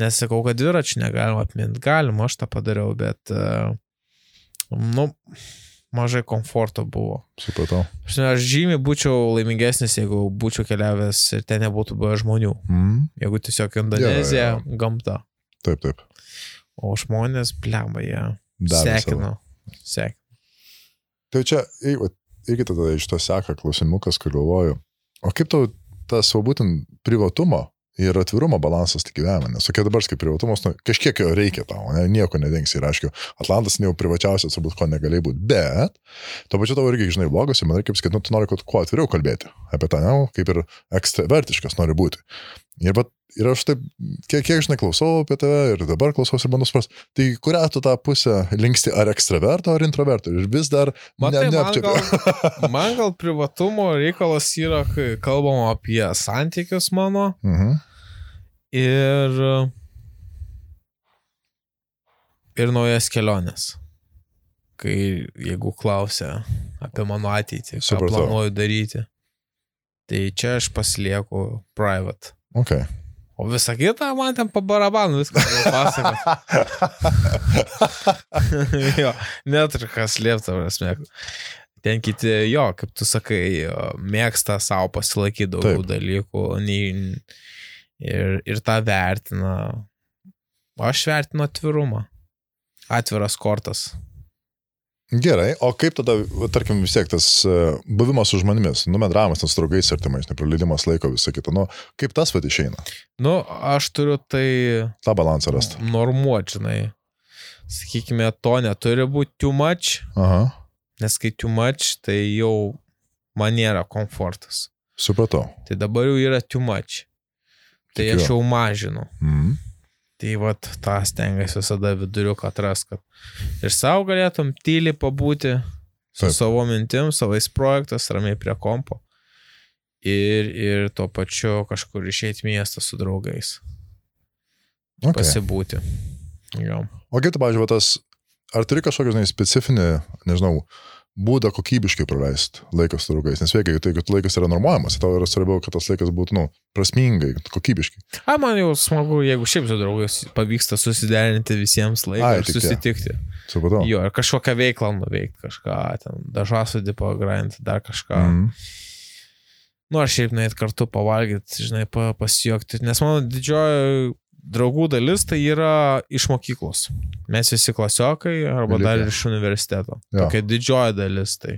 Nesakau, kad dviračių negalima apminti. Galima, aš tą padariau, bet mažai komforto buvo. Supratau. Aš žymiai būčiau laimingesnis, jeigu būčiau keliavęs ir ten nebūtų buvę žmonių. Jeigu tiesiog Indonezija, gamta. Taip. O žmonės, blemba, jie sekino. Tai čia, irgi tada iš to seka klausimukas, kur galvoju, o kaip tau tas būtent privatumo ir atvirumo balansas tik gyvenime, nes tokia dabar kaip privatumas, kažkiek jo reikia tau, nieko nedingsi ir aišku, Atlantas jau privačiausias, turbūt ko negalėjai būti, bet to pačiu tavo irgi, žinai, blogas, man reikia pasakyti, tu nori kuo atviriau kalbėti apie tą, kaip ir ekstravertiškas nori būti. Ir aš taip, kiek žinai, klausau apie tave ir dabar klausau ir bandau suprast, tai kurią tu tą pusę linksti, ar ekstraverto, ar introverto, ir vis dar neapčiapiu. Man gal privatumo reikalas yra, kai kalbam apie santykius mano ir naujas keliones. Kai jeigu klausia apie mano ateitį, ką planuoju daryti, tai čia aš pasilieku private. Okay. O visą kitą man ten po barabanų viską pasakot. Jo, neturiu kas slėpti, prasme. Ten kiti, jo, kaip tu sakai, mėgsta savo pasilaikyti daugiau dalykų ir tą vertina. Aš vertinu atvirumą. Atviras kortas. Gerai, o kaip tada, tarkim, vis tiek tas buvimas su žmonėmis, bendravimas su draugais artimais, nepraleidimas laiko, visą kitą, kaip tas vat išeina? Aš turiu tai... tą balansą rasti. Normuot, žinai. Sakykime, to neturi būti too much, nes kai too much, tai jau man nėra komfortas. Supratau. Tai dabar jau yra too much. Tai aš jau mažinu. Tai vat, tą stengiasi visada viduriuką atras, kad ir savo galėtum tyliai pabūti su savo mintim, savais projektas, ramiai prie kompo ir tuo pačiu kažkur išeiti miestą su draugais. Pasibūti. Jo. O kaip tu, pavyzdžiui, ar turi kažkokį, specifinį, nežinau, būdą kokybiškai praleisti laikas su draugais. Nes veikia, tai kad laikas yra normuojamas, tau yra svarbiau, kad tas laikas būtų, prasmingai, kokybiškai. Man jau smagu, jeigu šiaip su draugais pavyksta susiderinti visiems laiką ir susitikti. Supratau. Jo, ir kažkokią veiklą nuveikti, kažką, ten dažasudį pagrindinti, dar kažką. Ar šiaip nueit kartu pavalgyti, žinai, pasijuokti. Nes mano didžioji draugų dalis tai yra iš mokyklos. Mes visi klasiokai arba dar iš universiteto. Tokia didžioji dalis. Tai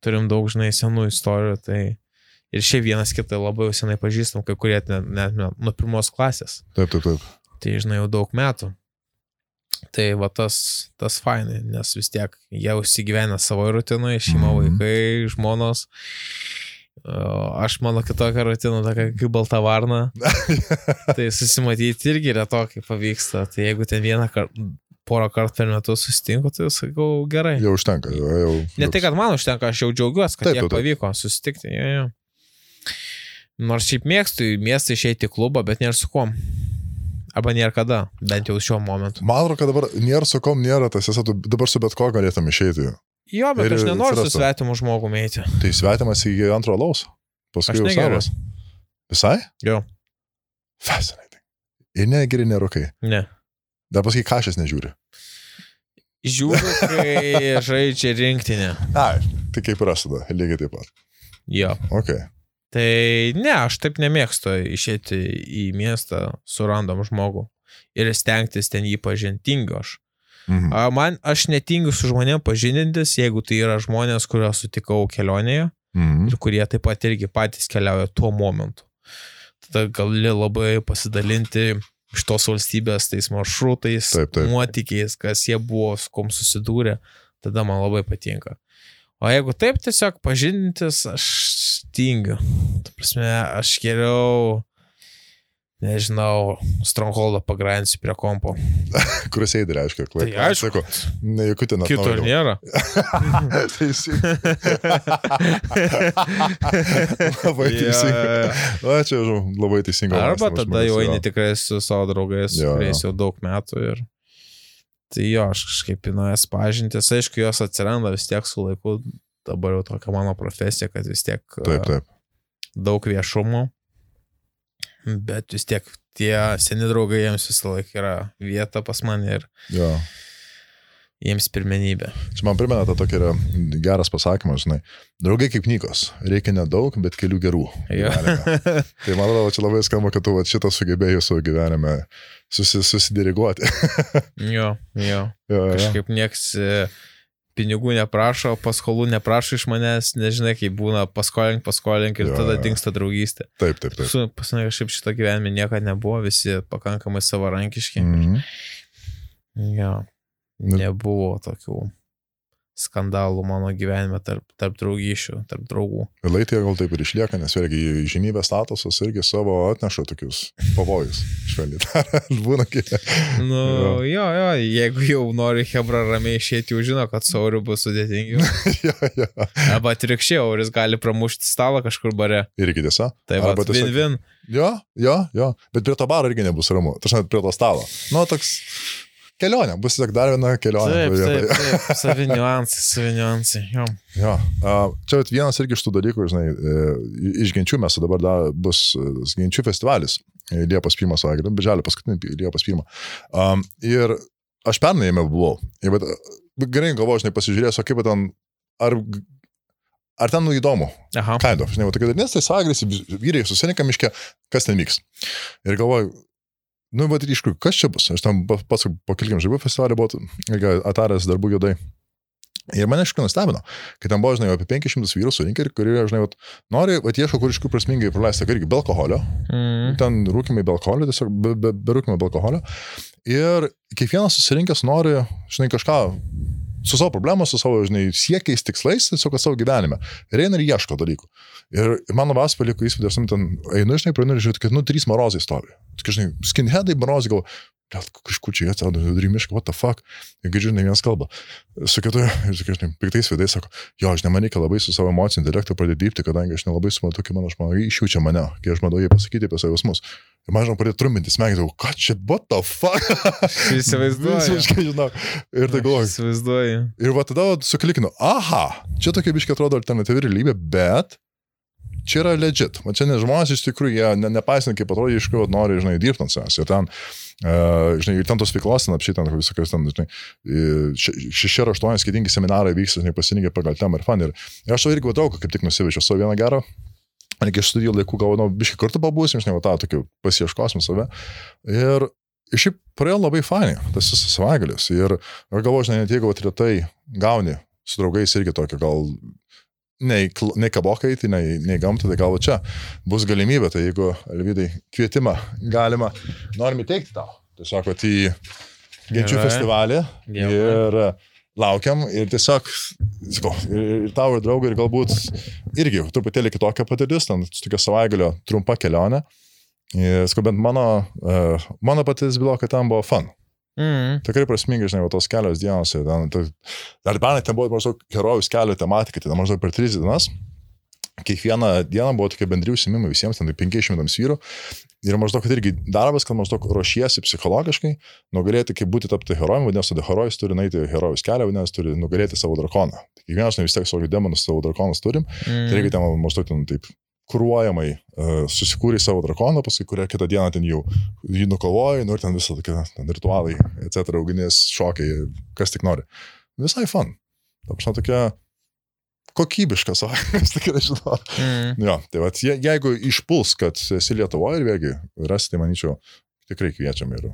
turim daug, žinai, senų istorijų. Tai ir šiaip vienas kitą labai senai pažįstam, kai kurie net nuo pirmos klasės. Taip. Tai, žinai, jau daug metų. Tai va tas fainai, nes vis tiek jie užsigyvena savo rutinoje, šeima, vaikai, žmonos. Aš mano kitokią rutiną, tokia kaip balta varna. Tai susimatyti irgi retokai pavyksta. Tai jeigu ten porą kartų per metus susitinku, tai sakau gerai. Jau užtenka. Ne tai, kad man užtenka, aš jau džiaugiuosi, kad jie pavyko susitikti. Jo. Nors šiaip mėgstu į miestą išeiti į klubą, bet nėra su kuom. Arba nėra kada, bent jau šiuo momentu. Man atrodo, kad dabar nėra su kom, nėra tas, dabar su bet ko galėtum išeiti. Jo, bet aš nenoriu su svetimu žmogu eiti. Tai svetimas į antro alaus. Paskui jau savas. Visai? Jo. Fascinating. Ir negeri nerūkai. Ne. Dar paskui kažkas nežiūri. Žiūriu, kai žaidžia rinktinė. Ai, tai kaip ir aš tada, lygiai taip pat. Jo. Ok. Tai ne, aš taip nemėgstu išėti į miestą su random žmogu ir stengtis ten jį pažintingo aš. Aš netingiu su žmonėm pažindintis, jeigu tai yra žmonės, kuriuos sutikau kelionėje ir kurie taip pat irgi patys keliauja tuo momentu. Tada gali labai pasidalinti iš tos valstybės tais maršrutais, nuotykiais, kas jie buvo, su kom susidūrė, tada man labai patinka. O jeigu taip tiesiog pažindintis, aš tingiu. Ta prasme, aš geriau nežinau, Strongholdą pagrindinsiu prie kompo. Kruseidį reiškia, klai. Tai aišku. Ne, jokių ten atnaujimų. Kito nėra. Teisingai. Labai teisingai. Na, čia labai teisingai. Arba tada jau eini tikrai su savo draugais, kuriais jau daug metų ir tai jo, aš kažkaip įnuojas pažintis. Aišku, jos atsiranda vis tiek su laiku. Dabar jau tokia mano profesija, kad vis tiek daug viešumo. Bet vis tiek tie seni draugai jiems visą laiką yra vieta pas mane ir jiems pirmenybė. Čia man primena, tą tokį yra geras pasakymas, žinai. Draugai kaip Nikos, reikia nedaug, bet kelių gerų. Tai man atrodo, čia labai skamba, kad tu šitą sugebėjai savo gyvenime susidiriguoti. Jo. Kažkaip nieks pinigų neprašo, paskolų neprašo iš manęs, nežinai, kaip būna paskolink ir tada dingsta draugystė. Taip. Pas mane kažkaip šito gyvenime niekada nebuvo, visi pakankamai savarankiški. Jo, nebuvo tokių skandalų mano gyvenime tarp draugyšių, tarp draugų. Laitėje gal taip ir išlieka, nes vėlgi žymybės statusas irgi savo atneša tokius pavojus. Švelniai. Būna kiek. Jo, jeigu jau nori hebra ramiai išėti, jau žino, kad su Auriu bus sudėtingiau. Arba atvirkščiai, Auris gali pramušti stalą kažkur bare. Irgi tiesa. Tai va, win-win. Jo. Bet prie to baro irgi nebus ramu. Tačiau prie to stalo. Toks... Kelionė, bus tiesiog dar viena kelionė. Taip, savi niuansai. Jo. Čia vienas irgi iš tų dalykų, žinai, iš Genčių mes dabar bus Genčių festivalis Liepos 1 savaitgalį, birželio paskutinį Liepos 1. Ir aš pernai jame buvau. Ir gerai galvoju, žinai, pasižiūrėsiu, kaip ten, ar ten įdomu. Kind of, žinai, tokia dalinės, tai savaitgalis, vyrai susirinka miške, kas ten vyks. Ir galvoju, bet iš kur, kas čia bus? Aš tam pats po keliam žaibų festivalį buvau ataręs darbų juodai. Ir mane iškai nustebino, kad ten buvo, žinai, apie 500 vyrų surinkę, kurie, žinai, nori, ieško kur iškių prasmingai praleisti, irgi be alkoholio. Ten rūkimai be alkoholio, tiesiog be rūkimai be alkoholio. Ir kiekvienas susirinkęs nori, žinai, kažką su savo problemos, su savo, žinai, siekiais, tikslais, tiesiog savo gyvenime. Ir eina ir ieško dalykų. Ir man labas paliko įspūdį, aš ten einu, žinai, praeinu ir žiūrėti, kad, 3 marozai stovi. Tokie, žinai, skinheadai, marozai, gal, kažkur čia atsirado, rimiškai, what the fuck. Ir girdžiu, žinai, vienas kalba. Su kitu, ir tokie, žinai, piktais veidais sako, jo, žinai, man reikia labai su savo emocinį intelektą pradėti dirbti, kadangi aš nelabai suprantu, kaip mano žmona išjaučia mane, kai aš matau jį pasakyti apie savo jausmus. Ir man, žinau, pradėjo trumpinti smegenį, ką čia, what the fuck? Įsivaizduoju. Visiškai, žinau. Ir tai galvoju. Įsivaizduoju. Ir va tada suklikinu, aha, čia tokia biškai atrodo alternatyvi realybė, bet čia yra legit. Man čia ne žmonės iš tikrųjų, jie nepaisant, kaip atrodo, iš kur nori, žinai, dirbti ant savęs. Ir ten, žinai, ir ten tos veiklos, ten apšiai ten visokios, ten, žinai, 6 ar 8 skirtingi seminarai vyksta, žinai, pasirinkė pagal temą ir fan. Ir aš to irgi vadau, kaip tik nusivežiau savo vieną gerą. Iki studijų laikų galvoju, biškai kartu pabūsim, žinai, tą tokį pasieškosim save. Ir šiaip praėjo labai fainai, tas visas savaitgalis. Ir aš galvoju, žinai, net jeigu retai gauni su draugais irgi tokio, gal nei kabokai, tai nei gamta, tai gal čia bus galimybė, tai jeigu, Alvydai, kvietimą galima, norim įteikti tau. Tiesiog, kad į Genčių festivalį ir laukiam ir tiesiog, sakau, ir tau ir draugai, ir galbūt irgi truputėlį kitokia patirtis, ten tokia savaitgalio trumpa kelionė. Sakau, bent mano patirtis bylo, kad ten buvo fun. Tikrai prasmingai, žinai, tos kelios dienos. Dar pernai ten buvo maždaug herojus kelio tematika, tai maždaug per 3 dienas. Kiekvieną dieną buvo tokie bendri užsiėmimai visiems, ten 500 vyrų. Ir maždaug, kad irgi darbas, kad maždaug ruošiesi psichologiškai, nugalėti, kaip būti tapti herojumi, vadinasi, herojus turi nueiti herojus kelią, vadinasi, turi nugalėti savo drakoną. Tai kiekvienas vis tiek savo demonus, savo drakonus turim. Tai reikia ten maždaug ten taip kruojamai susikūrė savo drakoną, paskui kurią kitą dieną ten jau jį nukovoja, ir ten visą tokie ritualai, etc., ugnies šokiai, kas tik nori. Visai fun. Ta prasme, tokia kokybiška savaitės, tikrai žinau. Jo, tai va, jeigu išpuls, kad esi Lietuvoje ir vėlgi rasti, tai manyčiau, tikrai kviečiam ir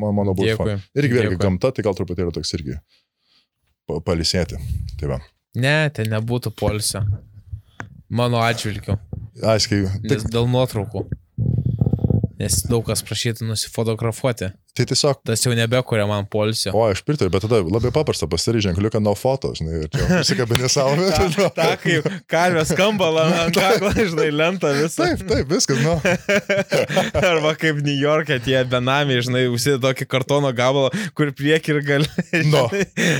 mano būtų fan. Irgi vėlgi gamta, tai gal truputėlį toks irgi palisėti. Tai va. Ne, tai nebūtų poilsio. Mano atžvilgiu. Aiškiai. Nes dėl nuotraukų. Nes daug kas prašytų nusifotografuoti. Tai tiesiog... Tas jau nebekuria man poilsio. O, aš pritariu, bet tada labai paprasta pasidaryti ženkliuką no foto, žinai, ir čia nusikabinė savo. Ta, kaip karvės skambala ant kaklo, žinai, lenta visą. Taip, viskas, nu. Arba kaip New York'e tie benamiai, žinai, užsidė tokį kartono gabalą, kur prieki ir gali. No.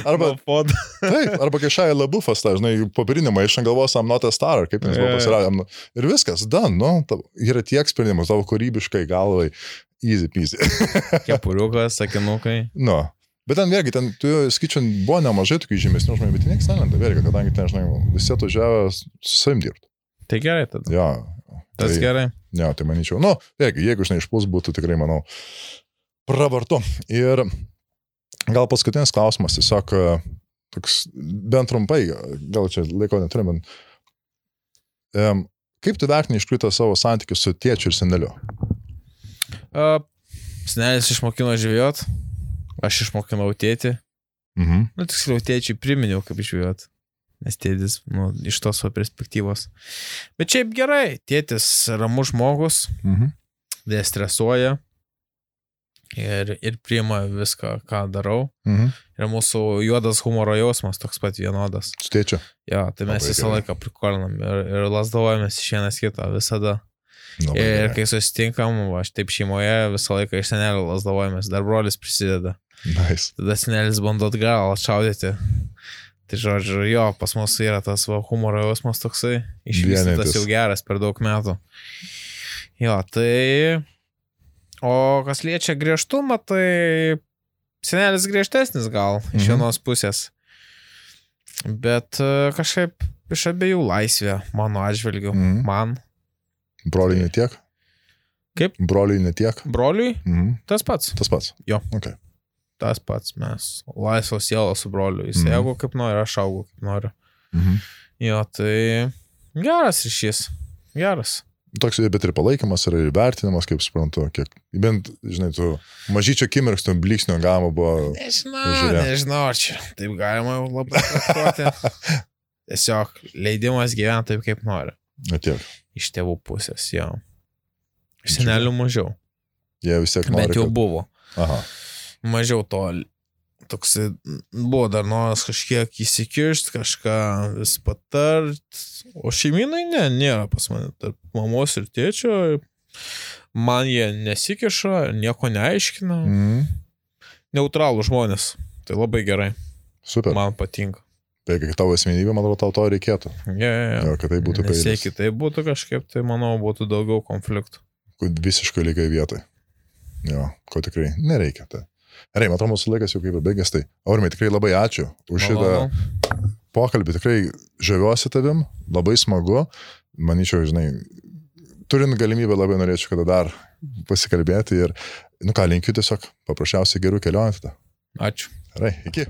Arba foto. Taip, arba kai Šaja Labufas, ta, žinai, popierinį maišą galvos, I'm not a star, kaip jis buvo pasiradė. Ir viskas, done, nu, yra tiek sprendimus, tavo kūrybiškai galvai. Easy peasy. Kepuriukas, sakinukai. Nu. Bet ten vėlgi, ten, tu skaičiu, buvo nemažai tokių žymesnių žmonių, bet nieks nelenda vėlgi, kadangi ten, žinai, visi atvažiavo su savim dirbti. Tai gerai tada. Jo. Tas tai, gerai. Jo, tai manyčiau. Nu, vėlgi, jeigu, žinai, išpuls būtų tikrai, manau, pravartu. Ir gal paskutinis klausimas, tiesiog, toks, bent trumpai, gal čia laiko neturim, bet kaip tu vertini iš tikrųjų savo santykius su tėčiu ir seneliu? Senelis išmokino žvejot, aš išmokinau tėtį. Nu, tiksliau, tėčiui priminiau, kaip žvejot. Nes tėtis, nu, iš tos perspektyvos. Bet šiaip gerai, tėtis ramus žmogus, destresuoja ir priima viską, ką darau. Ir mūsų juodas humoro jausmas toks pat vienodas. Su tėčiu? Jo, tai mes visą laiką prikolinam ir lasdavojamės iš vienas kitą visada. Ir kai susitinkam, aš taip šeimoje visą laiką iš senelio lasdavojamės, dar brolis prisideda. Nice. Tada senelis bando atgal atšaudyti. Tai žodžiu, jo, pas mus yra tas humoro jausmas toksai, išvystytas jau geras per daug metų. Jo, tai... O kas liečia griežtumą, tai senelis griežtesnis gal, iš vienos pusės. Bet kažkaip iš abiejų laisvė, mano atžvilgiu, man. Broliui netiek? Kaip? Broliui netiek? Broliui? Tas pats. Tas pats? Jo. Okay. Tas pats, mes laisvos sielos su broliu. Jis augo kaip nori, aš augo kaip noriu. Jo, tai geras ryšys. Geras. Toks, bet ir palaikymas, ir vertinimas, kaip suprantu, kiek, bent, žinai, tu mažyčio akimirkstų blyksnio galima buvo... Nežinau, čia taip galima jau labai traktuoti. Tiesiog leidimas gyventi taip, kaip nori. Tiek. Iš tėvų pusės, jo. Iš senelių mažiau. Jie vis tiek nori. Bet jau buvo. Aha. Mažiau to. Toks buvo dar noras kažkiek įsikiršti, kažką vis patart. O šeiminai nėra pas mane. Tarp mamos ir tėčio. Man jie nesikiša, nieko neaiškina. Neutralų žmonės. Tai labai gerai. Super. Man patinka. Tai kai tavo asmenybė, man atrodo, tau to reikėtų. Jo, kad tai būtų peilis. Nes jeigu tai būtų kažkaip, tai manau, būtų daugiau konfliktų. visiškai lygiai vietoj. Jo, ko tikrai nereikia. Tai. Gerai, matau, mūsų laikas jau kaip ir baigęs. Tai, Aurimai, tikrai labai ačiū už šitą pokalbį. Tikrai žaviuosi tavim, labai smagu. Manyčiau, žinai, turint galimybę labai norėčiau kada dar pasikalbėti ir, linkiu tiesiog paprasčiausiai gerų kelionių tada. Ačiū. Gerai, iki.